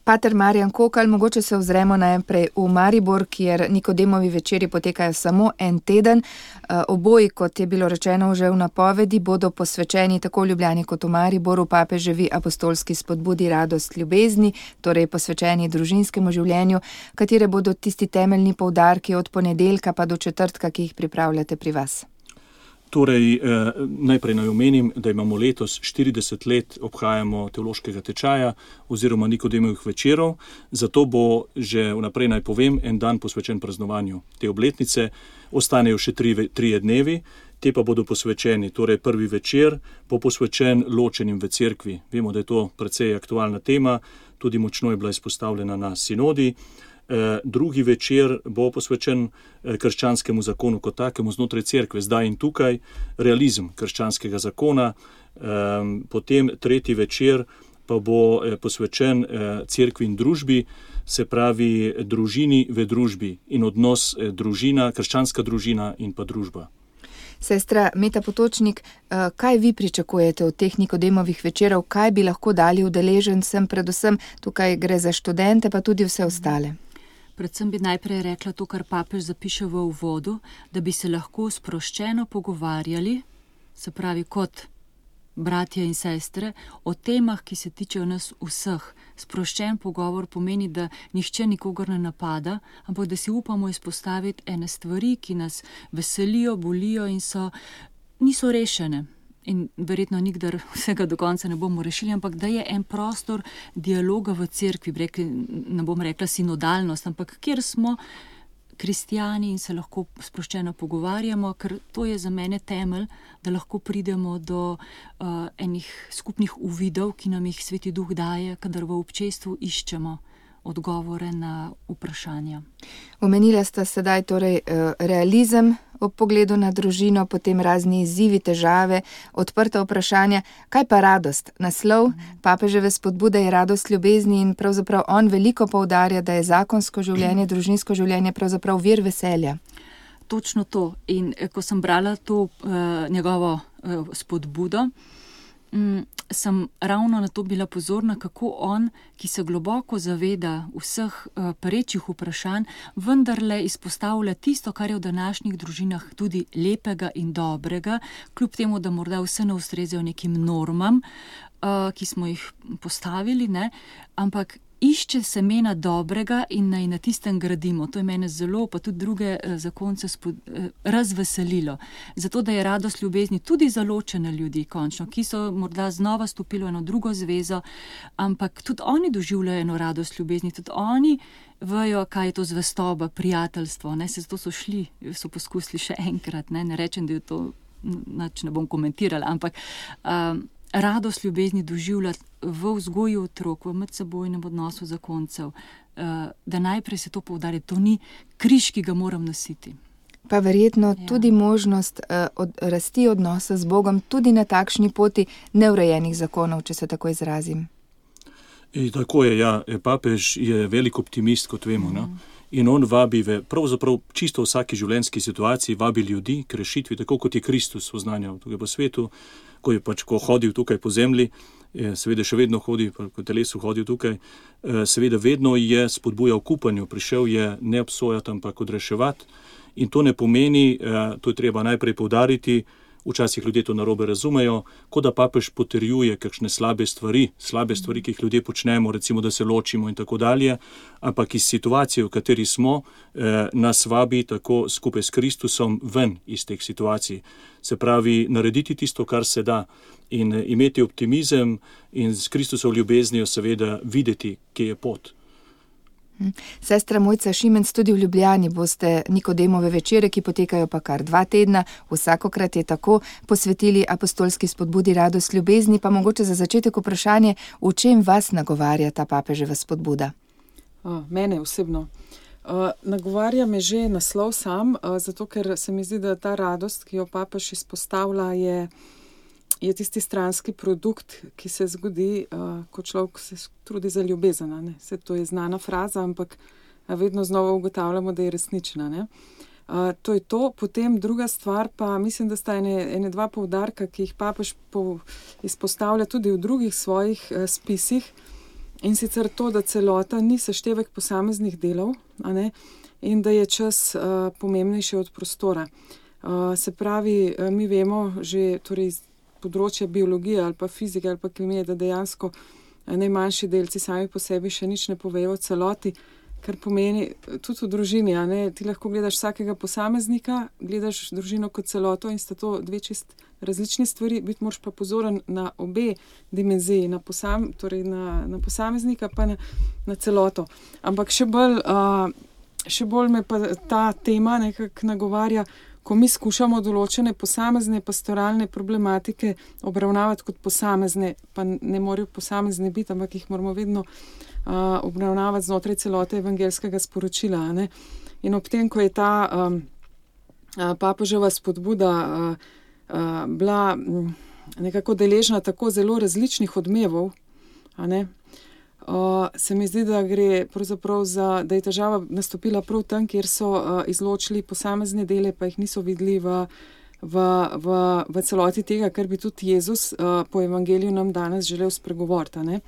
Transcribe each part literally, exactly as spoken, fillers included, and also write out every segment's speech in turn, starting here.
Pater Marjan Kokalj, mogoče se ozremo najprej v Maribor, kjer Nikodemovi večeri potekajo samo en teden. Oboji, kot je bilo rečeno že v napovedi, bodo posvečeni tako v Ljubljani kot v Mariboru papeževi apostolski spodbudi Radost ljubezni, torej posvečeni družinskemu življenju, katere bodo tisti temeljni poudarki od ponedeljka pa do četrtka, ki jih pripravljate pri vas. Torej, eh, najprej naj omenim, da imamo letos štirideset let obhajamo teološkega tečaja oziroma Nikodemovih večerov, zato bo že vnaprej naj povem en dan posvečen praznovanju te obletnice, ostanejo še tri, trije dnevi, te pa bodo posvečeni, torej prvi večer bo posvečen ločenim v cerkvi. Vemo, da je to precej aktualna tema, tudi močno je bila izpostavljena na sinodi. Eh, drugi večer bo posvečen eh, krščanskemu zakonu kot takemu znotraj cerkve, zdaj in tukaj, realizem krščanskega zakona. Eh, potem tretji večer pa bo eh, posvečen eh, cerkvi in družbi, se pravi družini v družbi in odnos eh, družina, krščanska družina in pa družba. Sestra Meta Potočnik, kaj vi pričakujete od teh Nikodemovih večerov, kaj bi lahko dali udeležencem, predvsem tukaj gre za študente, pa tudi vse ostale? Predvsem bi najprej rekla to, kar papež zapiše v uvodu, da bi se lahko sproščeno pogovarjali, se pravi kot bratje in sestre, o temah, ki se tičejo nas vseh. Sproščen pogovor pomeni, da nihče nikogar ne napada, ampak da si upamo izpostaviti ene stvari, ki nas veselijo, bolijo in so, niso rešene. In verjetno nikdar vsega do konca ne bomo rešili, ampak da je en prostor dialoga v cerkvi, rekli, ne bom rekla sinodalnost, ampak kjer smo kristijani in se lahko sproščeno pogovarjamo, ker to je za mene temelj, da lahko pridemo do uh, enih skupnih uvidov, ki nam jih Sveti Duh daje, kadar v občestvu iščemo odgovore na vprašanja. Omenila sta sedaj torej realizem ob pogledu na družino, potem razni izzivi, težave, odprta vprašanja. Kaj pa radost? Naslov papeževe spodbude je Radost ljubezni in pravzaprav on veliko poudarja, da je zakonsko življenje, družinsko življenje pravzaprav vir veselja. Točno to. In ko sem brala to uh, njegovo uh, spodbudo, sem ravno na to bila pozorna, kako on, ki se globoko zaveda vseh uh, perečih vprašanj, vendarle izpostavlja tisto, kar je v današnjih družinah tudi lepega in dobrega, kljub temu, da morda vse ne ustrezajo nekim normam, uh, ki smo jih postavili, ne? Ampak išče semena dobrega in naj na tistem gradimo. To je mene zelo, pa tudi druge eh, zakonce spod, eh, razveselilo. Zato, da je radost ljubezni tudi za ločene ljudi, končno, ki so morda znova stopili v eno drugo zvezo, ampak tudi oni doživljajo eno radost ljubezni, tudi oni vejo, kaj je to zvestoba, prijateljstvo, ne, se zato so šli, so poskusili še enkrat, ne, ne rečem, da je to, nač ne bom komentirala, ampak um, radost ljubezni doživljati v vzgoju otrok, v medsebojnem odnosu zakoncev, da najprej se to poudari, to ni križ, ki ga moram nositi. Pa verjetno ja. tudi možnost od, rasti odnosa z Bogom, tudi na takšni poti neurejenih zakonov, če se tako izrazim. I, tako je, ja. Papež je velik optimist, kot vemo, mm. ne? In on vabi ve, pravzaprav čisto v vsaki življenjski situaciji, vabi ljudi k rešitvi, tako kot je Kristus oznanjal tukaj po svetu, ko je pač, ko hodil tukaj po zemlji, seveda še vedno hodi, ko telesu hodil tukaj, seveda vedno je spodbujal k upanju, prišel je ne obsojati, ampak odreševati. In to ne pomeni, to je treba najprej poudariti, včasih ljudje to narobe razumejo, kot da papež potrjuje kakšne slabe stvari, slabe stvari, ki jih ljudje počnemo, recimo, da se ločimo in tako dalje, ampak iz situacije, v kateri smo, eh, nas vabi tako skupaj s Kristusom ven iz teh situacij. Se pravi, narediti tisto, kar se da in imeti optimizem in s Kristusov ljubeznijo seveda videti, kje je pot. Sestra Mojca Šimenc, tudi v Ljubljani boste Nikodemove večere, ki potekajo pa kar dva tedna, vsakokrat je tako, posvetili apostolski spodbudi Radost ljubezni, pa mogoče za začetek vprašanje, v čem vas nagovarja ta papeževa spodbuda? Uh, mene osebno. Uh, nagovarja me že naslov sam, uh, zato ker se mi zdi, da ta radost, ki jo papež izpostavlja, je je tisti stranski produkt, ki se zgodi, uh, ko človek se trudi za ljubezen. Ne? Se to je znana fraza, ampak vedno znova ugotavljamo, da je resnična. Ne? Uh, to je to. Potem druga stvar pa, mislim, da sta ene, ene dva poudarka, ki jih papež po, izpostavlja tudi v drugih svojih uh, spisih. in sicer to, da celota ni seštevek posameznih delov, a ne, in da je čas uh, pomembnejši od prostora. Uh, se pravi, uh, mi vemo že torej iz področja biologije ali pa fizike ali pa kemije, da dejansko uh, najmanjši delci sami po sebi še nič ne povejo o celoti, kar pomeni tudi v družini, a ne, ti lahko gledaš vsakega posameznika, gledaš družino kot celoto in sta to dve čist različni stvari, biti moraš pa pozoren na obe dimenziji, na, posam, torej na, na posameznika pa na, na celoto. Ampak še bolj, uh, še bolj me pa ta tema nekako nagovarja, ko mi skušamo določene posamezne pastoralne problematike obravnavati kot posamezne, pa ne morajo posamezne biti, ampak jih moramo vedno uh, obravnavati znotraj celote evangelskega sporočila. Ne? In ob tem, ko je ta um, uh, papeževa spodbuda uh, uh, bila um, nekako deležna tako zelo različnih odmevov, a ne, Uh, se mi zdi, da gre pravzaprav za, da je težava nastopila prav tam, kjer so uh, izločili posamezne dele, pa jih niso videli v, v, v, v celoti tega, kar bi tudi Jezus uh, po evangeliju nam danes želel spregovoriti. Ne?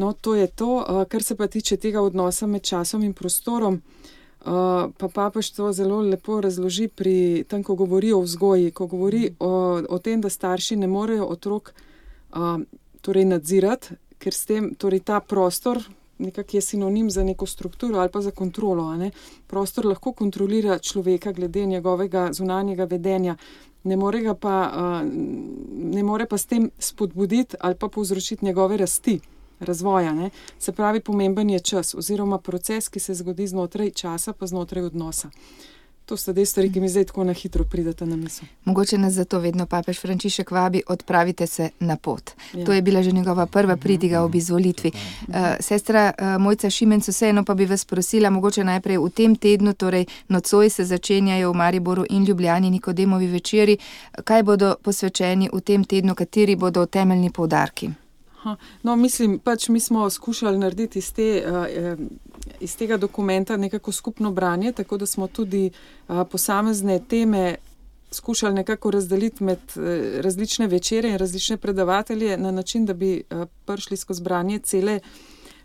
No, to je to, uh, kar se pa tiče tega odnosa med časom in prostorom, uh, pa papež to zelo lepo razloži pri tem, ko govori o vzgoji, ko govori o, o tem, da starši ne morejo otrok uh, torej nadzirati, ker s tem, torej ta prostor nekak je sinonim za neko strukturo ali pa za kontrolo. A ne? Prostor lahko kontrolira človeka glede njegovega zunanjega vedenja, ne more ga pa, uh, ne more pa s tem spodbuditi ali pa povzročiti njegove rasti, razvoja. Ne? Se pravi, pomemben je čas oziroma proces, ki se zgodi znotraj časa pa znotraj odnosa. To sta dve stvari, ki mi zdaj tako na hitro prideta na misel. Mogoče nas zato vedno papež Frančišek vabi, odpravite se na pot. Ja. To je bila že njegova prva pridiga ob izvolitvi. Uh, sestra uh, Mojca Šimenc, vseeno pa bi vas prosila, mogoče najprej v tem tednu, torej nocoj se začenjajo v Mariboru in Ljubljani Nikodemovi večeri. Kaj bodo posvečeni v tem tednu, kateri bodo temeljni poudarki? No, mislim, pač mi smo skušali narediti iz, te, uh, iz tega dokumenta nekako skupno branje, tako da smo tudi uh, posamezne teme skušali nekako razdeliti med uh, različne večere in različne predavatelje na način, da bi uh, prišli skozi branje cele,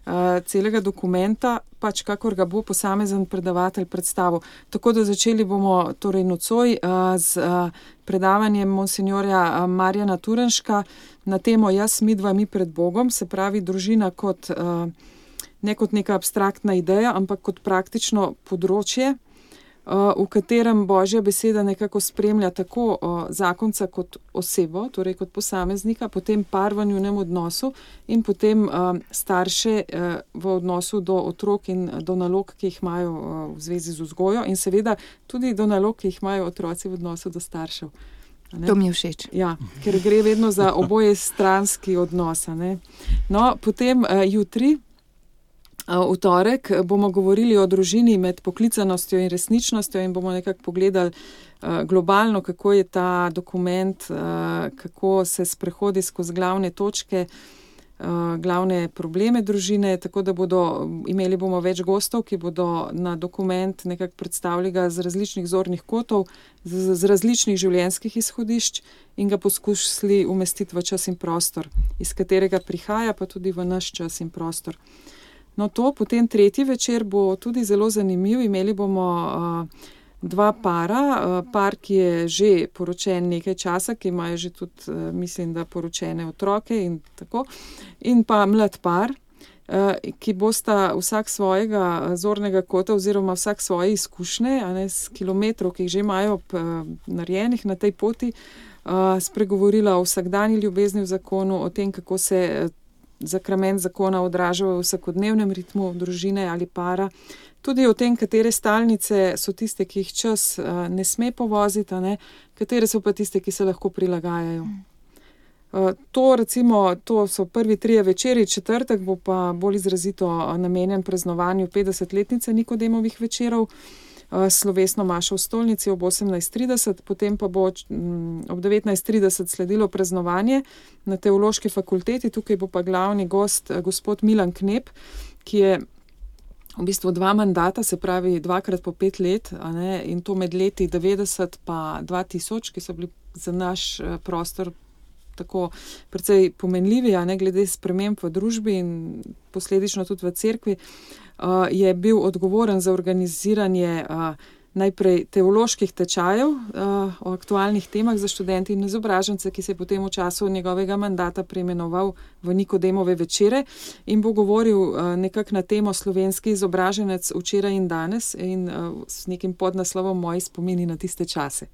uh, celega dokumenta, pač kakor ga bo posamezen predavatelj predstavil. Tako da začeli bomo torej nocoj uh, z uh, predavanjem monsinjorja uh, Marjana Turenška na temo Jaz, midva, mi pred Bogom, se pravi družina kot, uh, ne kot neka abstraktna ideja, ampak kot praktično področje, uh, v katerem Božja beseda nekako spremlja tako uh, zakonca kot osebo, torej kot posameznika, potem par v njunem odnosu in potem uh, starše uh, v odnosu do otrok in do nalog, ki jih imajo uh, v zvezi z vzgojo in seveda tudi do nalog, ki jih imajo otroci v odnosu do staršev. Ne? To mi je všeč. Ja, ker gre vedno za oboje stranski odnos. Ne? No, potem uh, jutri, uh, v torek, bomo govorili o družini med poklicanostjo in resničnostjo in bomo nekako pogledali uh, globalno, kako je ta dokument, uh, kako se sprehodi skozi glavne točke, uh, glavne probleme družine, tako da bodo, imeli bomo več gostov, ki bodo na dokument nekako predstavili ga z različnih zornih kotov, z, z različnih življenjskih izhodišč in ga poskušali umestiti v čas in prostor, iz katerega prihaja, pa tudi v naš čas in prostor. No to, potem tretji večer bo tudi zelo zanimiv, imeli bomo uh, dva para, uh, par, ki je že poročen nekaj časa, ki imajo že tudi, uh, mislim, da poročene otroke in tako, in pa mlad par, uh, ki bosta vsak svojega zornega kota oziroma vsak svoje izkušnje, a ne, s kilometrov, ki jih že imajo p, narejenih na tej poti, uh, spregovorila o vsakdanji ljubezni v zakonu, o tem, kako se uh, zakrament zakona odraža v vsakodnevnem ritmu družine ali para, tudi o tem, katere stalnice so tiste, ki jih čas uh, ne sme povoziti, ne, katere so pa tiste, ki se lahko prilagajajo. Uh, to, recimo, to so prvi trije večeri, četrtek bo pa bolj izrazito namenjen praznovanju petdesetletnice Nikodemovih večerov, uh, slovesno mašo v stolnici ob osemnajst trideset, potem pa bo um, ob devetnajst trideset sledilo praznovanje na Teološki fakulteti, tukaj bo pa glavni gost uh, gospod Milan Knep, ki je v bistvu dva mandata, se pravi dvakrat po pet let, a ne, in to med leti devetdeset pa dva tisoč, ki so bili za naš prostor tako precej pomenljivi, a ne glede sprememb v družbi in posledično tudi v cerkvi, uh, je bil odgovoren za organiziranje uh, najprej teoloških tečajev uh, o aktualnih temah za študenti in izobražence, ki se je potem v času njegovega mandata preimenoval v Nikodemove večere in bo govoril uh, nekako na temo Slovenski izobraženec včeraj in danes in uh, s nekim podnaslovom Moji spomini na tiste čase.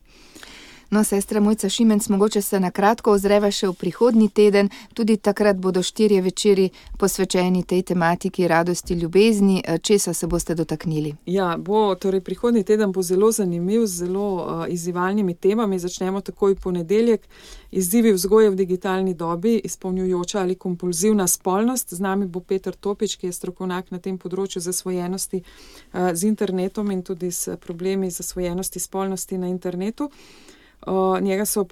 No, sestra Mojca Šimenc, mogoče se na kratko ozreva še v prihodnji teden, tudi takrat bodo štirje večeri posvečeni tej tematiki radosti, ljubezni. Česa se boste dotaknili? Ja, bo, torej prihodnji teden bo zelo zanimiv, z zelo uh, izzivalnimi temami. Začnemo takoj v ponedeljek. Izzivi vzgoje v digitalni dobi, izpolnjujoča ali kompulzivna spolnost. Z nami bo Peter Topič, ki je strokovnjak na tem področju zasvojenosti uh, z internetom in tudi s problemi zasvojenosti spolnosti na internetu. Uh, njega so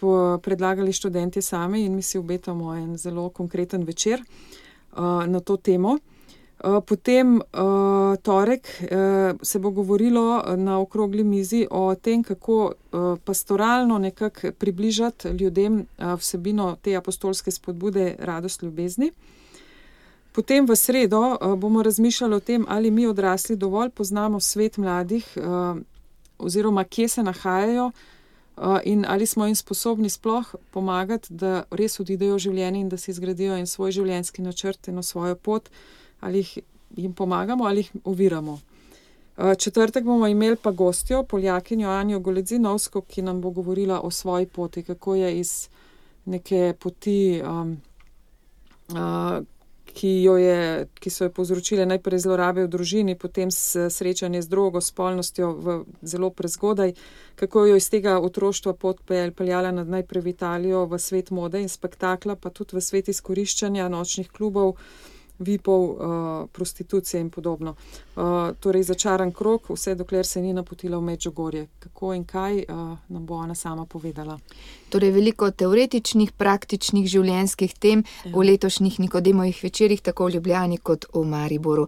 predlagali študentje sami in mi si obetamo en zelo konkreten večer uh, na to temo. Uh, potem uh, torek uh, se bo govorilo na okrogli mizi o tem, kako uh, pastoralno nekako približati ljudem uh, vsebino te apostolske spodbude radost ljubezni. Potem v sredo uh, bomo razmišljali o tem, ali mi odrasli dovolj poznamo svet mladih uh, oziroma kje se nahajajo, Uh, in ali smo jim sposobni sploh pomagati, da res odidejo v življenje in da si zgradijo en svoj življenjski načrt, eno svojo pot, ali jih, jim pomagamo ali jih oviramo. Uh, četrtek bomo imeli pa gostjo, Poljakinjo Anjo Goledzinovsko, ki nam bo govorila o svoji poti, kako je iz neke poti, um, uh, ki, jo je, ki so jo povzročile najprej zlorabe v družini, potem srečanje z drogo, spolnostjo v zelo prezgodaj, kako jo iz tega otroštva pot peljala najprej v Italijo, v svet mode in spektakla, pa tudi v svet izkoriščanja nočnih klubov, vipov, uh, prostitucije in podobno. Uh, torej začaran krog, vse dokler se ni napotila v Medžugorje. Kako in kaj uh, nam bo ona sama povedala. Torej veliko teoretičnih, praktičnih življenjskih tem ja. v letošnjih Nikodemovih večerih, tako v Ljubljani kot v Mariboru.